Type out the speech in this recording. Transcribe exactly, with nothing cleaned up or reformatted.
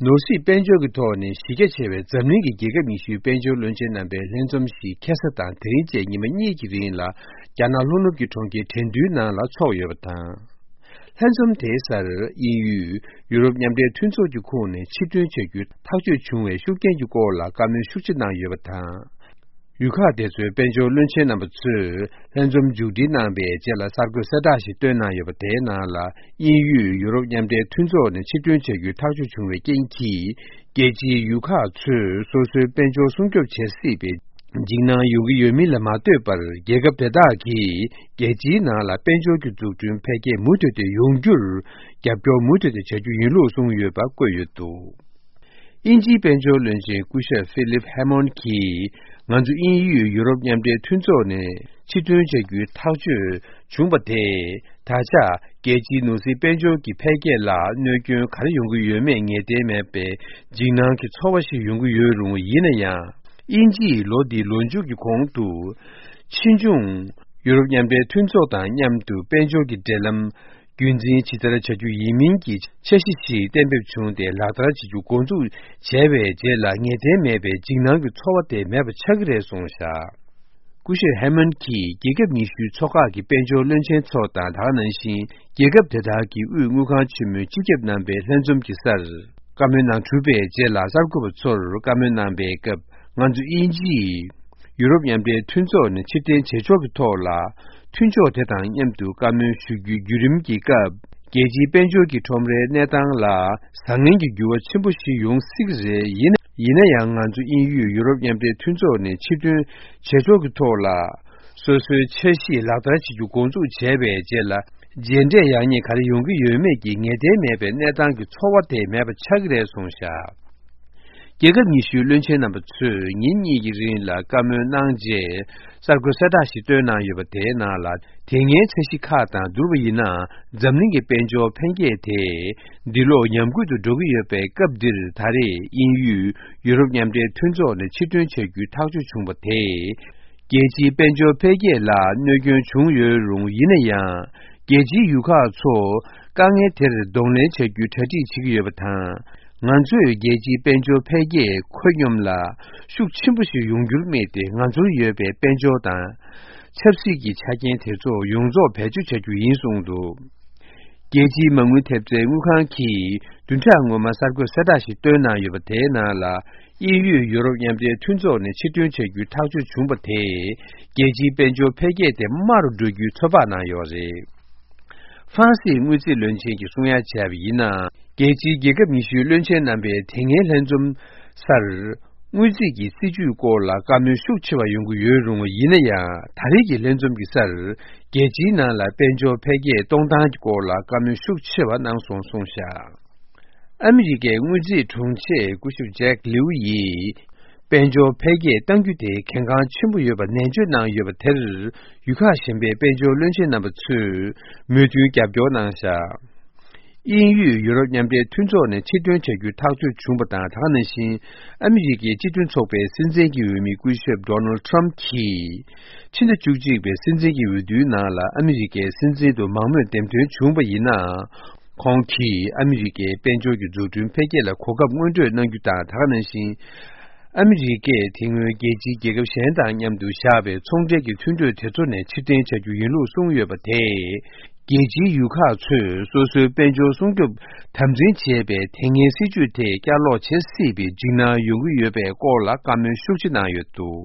ནོར་སྲིད་དཔལ་འབྱོར་གྱི་ཐོག་ནས་གཞི་རྒྱ་ཆེ་བའི་འཛམ་གླིང་གི་རྒྱལ་ཁབ་ཉི་ཤུའི་དཔལ་འབྱོར་བློན་ཆེན་རྣམ་པའི་ལྷན་འཛོམས་ཤིག་ཁ་སང་དང་དེ་རིང་བཅས་ཉི་མ་གཉིས་ཀྱི་རིང་ལ་རྒྱ་ནག་ལྷོ་ནུབ་ཀྱི་གྲོང་ཁྱེར་ཁྲེང་ཏུའུ་ནང་ལ་འཚོགས་ཡོད་པ་དང་། ལྷན་འཛོམས་དེའི་སར་དབྱིན་ཡུལ་ཡུ་རོབ་མཉམ་འབྲེལ་མཐུན་ཚོགས་ཀྱི་ཁོངས་ནས་ཕྱིར་ཐོན་བྱ་རྒྱུའི་ཐག་གཅོད་བྱུང་བའི་ཤུགས་རྐྱེན་གྱི་སྐོར་ལ་བཀའ་མོལ་ཤུགས་ཆེ་གནང་ཡོད་པ་དང་། ཡུལ་ཁག་དེ་ཚོའི་དཔལ་འབྱོར་བློན་ཆེན་རྣམ་པ་ཚོས་ལྷན་འཛོམས་མཇུག་སྒྲིལ་གནང་པའི་རྗེས་ལ་གསར་འགོད་གསལ་བསྒྲགས་ཤིག་བཏོན་གནང་ཡོད་པ་དེའི་ནང་ལ། དབྱིན་ཡུལ་ཡུ་རོབ་མཉམ་འབྲེལ་མཐུན་ཚོགས་ནས་ཕྱིར་ཐོན་བྱ་རྒྱུའི་ཐག་གཅོད་བྱུང་བའི་རྐྱེན་གྱིས། རྒྱལ་སྤྱིའི་ཡུལ་ཁག་ཚོས་སོ་སོའི་དཔལ་འབྱོར་སྲུང་སྐྱོབ་བྱེད་སྲིད་པའི་འཇིགས་སྣང་ཡོང་གི་ཡོད་མིན་ལ་མ་ལྟོས་པར། རྒྱལ་ཁབ་དེ་དག་གིས་རྒྱལ་སྤྱིའི་ནང་ལ་དཔལ་འབྱོར་གྱི་འཛུགས་སྐྲུན་འཕེལ་རྒྱས་མུ་མཐུད་དེ་ཡོང་རྒྱུར་རྒྱབ་སྐྱོར་མུ་མཐུད་དེ་བྱ་རྒྱུ་ཡིན་ལུགས་གསུངས་ཡོད་པ་བཀོད་ཡོད་འདུག་དབྱིན་ཇིའི་དཔལ་འབྱོར་བློན་ཆེན་སྐུ་ཞབས་ཧྥི་ལིབ་ཧེ་མོན་གྱིས། ང་ཚོ་དབྱིན་ཡུལ་ཡུ་རོབ་མཉམ་འབྲེལ་མཐུན་ཚོགས་ནས་ཕྱིར་ཐོན་བྱ་རྒྱུའི་ཐག་གཅོད་བྱུང་བ་དེས། ད་ཆ་རྒྱལ་སྤྱིའི་ནོར་སྲིད་དཔལ་འབྱོར་གྱི་འཕེལ་རྒྱས་ལ་གནོད་སྐྱོན་ག་རེ་ཡོང་གི་ཡོད་མེད་ངེས་གཏན་མེད་པའི་འཇིགས་སྣང་གི་ཚོར་བ་ཞིག་ཡོང་གི་ཡོད་རུང་། ཡིན་ན་ཡང་། དབྱིན་ཇིས་ལོ་འདིའི་ལོ་མཇུག་གི་གོང་དུ། ཕྱིས་འབྱུང་ཡུ་རོབ་མཉམ་འབྲེལ་མཐུན་ཚོགས་དང་མཉམ་དུ་དཔལ་འབྱོར་གྱི་འབྲེལ་ལམ། རྒྱུན་འཛིན་ཇི་ལྟར་བྱ་རྒྱུ་ཡིན་མིན་གྱི་འཆར་གཞི་ཞིག་གཏན་འབེབས་བྱུང་སྟེ། ལག་བསྟར་བྱེད་རྒྱུ་འགོ་འཛུགས་བྱས་པའི་རྗེས་ལ། ངེས་གཏན་མེད་པའི་འཇིགས་སྣང་གི་ཚོར་བ་དེ་མེད་པ་ཆགས་ཀྱི་རེད་གསུངས་བཞག་སྐུ་ཞབས་ཧེ་མན་གྱིས་རྒྱལ་ཁབ་ཉི་ཤུའི་ཚོགས་ཁག་གི་དཔལ་འབྱོར་བློན་ཆེན་ཚོ་དང་། ད་ག་ནང་བཞིན་རྒྱལ་ཁབ་དེ་དག་གི་དབུས་དངུལ་ཁང་ཆེན་མོའི་སྤྱི་ཁྱབ་རྣམ་པའི་ལྷན་འཛོམས་ཀྱི་སར་བཀའ་མོལ་གནང་གྲུབ་པའི་རྗེས་ལ། གསར་འགོད་པ་ཚོར་བཀའ་མོལ་གནང་པའི་སྐབས། ང་ཚོ་དབྱིན་ཇིས་ཡུ་རོབ་མཉམ་འབྲེལ་མཐུན་ཚོགས་ནས་ཕྱིར་འཐེན་བྱེད་ཕྱོགས་ཀྱི་ཐོག་ལ། མཐུན་ཕྱོགས་དེ་དང་མཉམ་དུ་བཀའ་མོལ་ཞུ་རྒྱུའི་བརྒྱུད་རིམ་གྱི་སྐབས། རྒྱལ་སྤྱིའི་དཔལ་འབྱོར་གྱི་ཁྲོམ་རའི་གནས་སྟངས་ལ་བཟང་ངན་གྱི་འགྱུར་བ་ཆེན་པོ་ཞིག་ཡོང་སྲིད་ཀྱི་རེད། ཡིན་ཡིན་ན་ཡང་། ང་ཚོ་དབྱིན་ཡུལ་ཡུ་རོབ་མཉམ་འབྲེལ་མཐུན་ཚོགས་ནས་ཕྱིར་ཐོན་བྱེད་ཕྱོགས་ཀྱི་ཐོག་ལ། སོ་སོའི་འཆར་གཞི་ལག་བསྟར་བྱེད་རྒྱུ་འགོ་འཛུགས་བྱས་པའི་རྗེས་ལ། རྗེས་འབྲས་ཡག་ཉེས་ག་རེ་ཡོང་གི་ཡོད་མེད་ཀྱི་ངེས་གཏན་མེད་པའི་གནས་སྟངས་ཀྱི་ཚོར་བ་དེ་མེད་པ་ཆགས་ཀྱི་རེད་གསུངས་བཞག་རྒྱལ་ཁབ་ཉི་ཤུའི་བློན་ཆེན་རྣམ་པ་ཚོས་ཉིན་གཉིས་ཀྱི་རིང་ལ་བཀའ་མོལ་གནང་རྗེས། གསར་འགོད་གསལ་བསྒྲགས་ཤིག་བཏོན་གནང་ཡོད་པ་དེའི་ནང་ལ། དེ་སྔའི་འཆར་གཞི་ཁག་དང་བསྡུར་བ་ཡིན་ན། འཛམ་གླིང་གི་དཔལ་འབྱོར་འཕེལ་རྒྱས་དེ་འདི་ལོ་ཉམས་རྒུད་དུ་འགྲོ་གི་ཡོད་པའི་སྐབས་འདིར། ད་རེས་དབྱིན་ཡུལ་ཡུ་རོབ་མཉམ་འབྲེལ་མཐུན་ཚོགས་ནས་ཕྱིར་ཐོན་བྱ་རྒྱུའི་ཐག་གཅོད་བྱུང་བ་དེས། རྒྱལ་སྤྱིའི་དཔལ་འབྱོར་འཕེལ་རྒྱས་ལ་གནོད་སྐྱོན་བྱུང་ཡོད་རུང་། ཡིན་ན་ཡང་། རྒྱལ་སྤྱིའི་ཡུལ་ཁག་ཚོ་དཀའ་ངལ་དེར་གདོང་ལེན་བྱ་རྒྱུའི་གྲ་སྒྲིག་བྱེད་ཀྱི་ཡོད་པ་དང་། ང་ཚོས་རྒྱལ་སྤྱིའི་དཔལ་འབྱོར་འཕེལ་རྒྱས་ཁོད་སྙོམས་ལ་ཤུགས་ཆེན་པོ་ཞིག་ཡོང་རྒྱུར་དམིགས་ཏེ། ང་ཚོར་ཡོད་པའི་དཔལ་འབྱོར་དང་ཆབ་སྲིད་ཀྱི་ཆ་རྐྱེན་དེ་ཚོ་ཡོངས་རྫོགས་བེད་སྤྱོད་བྱ་རྒྱུ་ཡིན་གསུངས་འདུག་རྒྱལ་སྤྱིའི་མ་དངུལ་ཐེབས་རྩའི་དངུལ་ཁང་གིས་བདུན་ཕྲག་སྔོན་མ་གསར་འགོད་གསལ་བསྒྲགས་ཤིག་བཏོན་གནང་ཡོད་པ། དེའི་ནང་ལ། དབྱིན་ཡུལ་ཡུ་རོབ་མཉམ་འབྲེལ་མཐུན་ཚོགས་ནས་ཕྱིར་ཐོན་བྱ་རྒྱུའི་ཐག་གཅོད་བྱུང་བ་དེས། རྒྱལ་སྤྱིའི་དཔལ་འབྱོར་འཕེལ་རྒྱས་དེ་དམའ་རུ་འགྲོ་རྒྱུའི་ཚོད་དཔག་གནང་ཡོད་རེད། ཧྥ་རན་སིའི་དངུལ་རྩིས་བློན་ཆེན་གྱིས་གསུང་ཡ་བྱས་པ་ཡིན་ན། རྒྱལ་སྤྱིའི་རྒྱལ་ཁབ་ཉི་ཤུའི་བློན་ཆེན་རྣམ་པའི་དེ་སྔའི་ལྷན་འཛོམས་སར། དངུལ་རྩིས་ཀྱི་སྲིད་ཇུས་སྐོར་ལ་བཀའ་མོལ་ཤུགས་ཆེ་བ་ཡོང་གི་ཡོད་རུང་། ཡིན་ན་ཡང་། ད་རེས་ཀྱི་ལྷན་འཛོམས་ཀྱི་སར། རྒྱལ་སྤྱིའི་ནང་ལ་དཔལ་འབྱོར་འཕེལ་རྒྱས་གཏོང་སྟངས་ཀྱི་སྐོར་ལ་བཀའ་མོལ་ཤུགས་ཆེ་བ་གནང་སོང་གསུངས་བཞག་ཨ་མི་རི་ཀའི་དངུལ་རྩིས་དྲུང་ཆེ་སྐུ་ཞབས་ཇེག་ལིའུ་ཡིས། དཔལ་འབྱོར་འཕེལ་རྒྱས་གཏང་རྒྱུ་དེ་གལ་འགངས་ཆེན་པོ་ཡོད་པ་ནན་བརྗོད་གནང་ཡོད་པ་དེར། ཡུལ་ཁག་གཞན་པའི་དཔལ་འབྱོར་བློན་ཆེན་རྣམ་པ་ཚོས་མོས་མཐུན་རྒྱབ་སྐྱོར་གནང་བཞག་དབྱིན་ཡུལ་ཡུ་རོབ་མཉམ་འབྲེལ་མཐུན་ཚོགས་ནས་ཕྱིར་ཐོན་བྱ་རྒྱུའི་ཐག་གཅོད་བྱུང་བ་དང་། ད་ག་ནང་བཞིན་ཨ་མི་རི་ཀའི་སྤྱི་མཐུན་ཚོགས་པའི་སྲིད་འཛིན་གྱི་འོས་མི་སྐུ་ཞབས་ཌོ་ནལ་ཁྲམ་གྱིས། ཕྱི་ཟླ་བཅུ་གཅིག་པའི་སྲིད་འཛིན་གྱི་འོས་བསྡུའི་ནང་ལ་ཨ་མི་རི་ཀའི་སྲིད་འཛིན་དུ་མང་མོས་འདེམས་ཐོན་བྱུང་བ་ཡིན་ན། ཁོང་གིས་ཨ་མི་རི་ཀའི་དཔལ་འབྱོར་གྱི་འཛུགས་སྐྲུན་འཕེལ་རྒྱས་ལ་གོ་སྐབས་སྔོན་སྤྲོད་གནང་རྒྱུ་དང་། ད་ག་ནང་བཞིན། ཨ་མི་རི་ཀས་དེ་སྔོན་རྒྱལ་སྤྱིའི་རྒྱལ་ཁབ་གཞན་དང་མཉམ་དུ་བཞག་པའི་ཚོང་འབྲེལ་གྱི་མཐུན་གྲོས་དེ་ཚོ་ནས་ཕྱིར་འཐེན་བྱ་རྒྱུ་ཡིན་ལུགས་གསུངས་ཡོད་པ་དེས། རྒྱལ་སྤྱིའི་ཡུལ་ཁག་ཚོས་སོ་སོའི་དཔལ་འབྱོར་སྲུང་སྐྱོབ་དམ་འཛིན་བྱེད་པའི་དེ་སྔའི་སྲིད་ཇུས་དེ་བསྐྱར་ལོག་བྱེད་སྲིད་པའི་འཇིགས་སྣང་ཡོང་གི་ཡོད་པའི་སྐོར་ལ་བཀའ་མོལ་ཤུགས་ཆེ་གནང་ཡོད་འདུག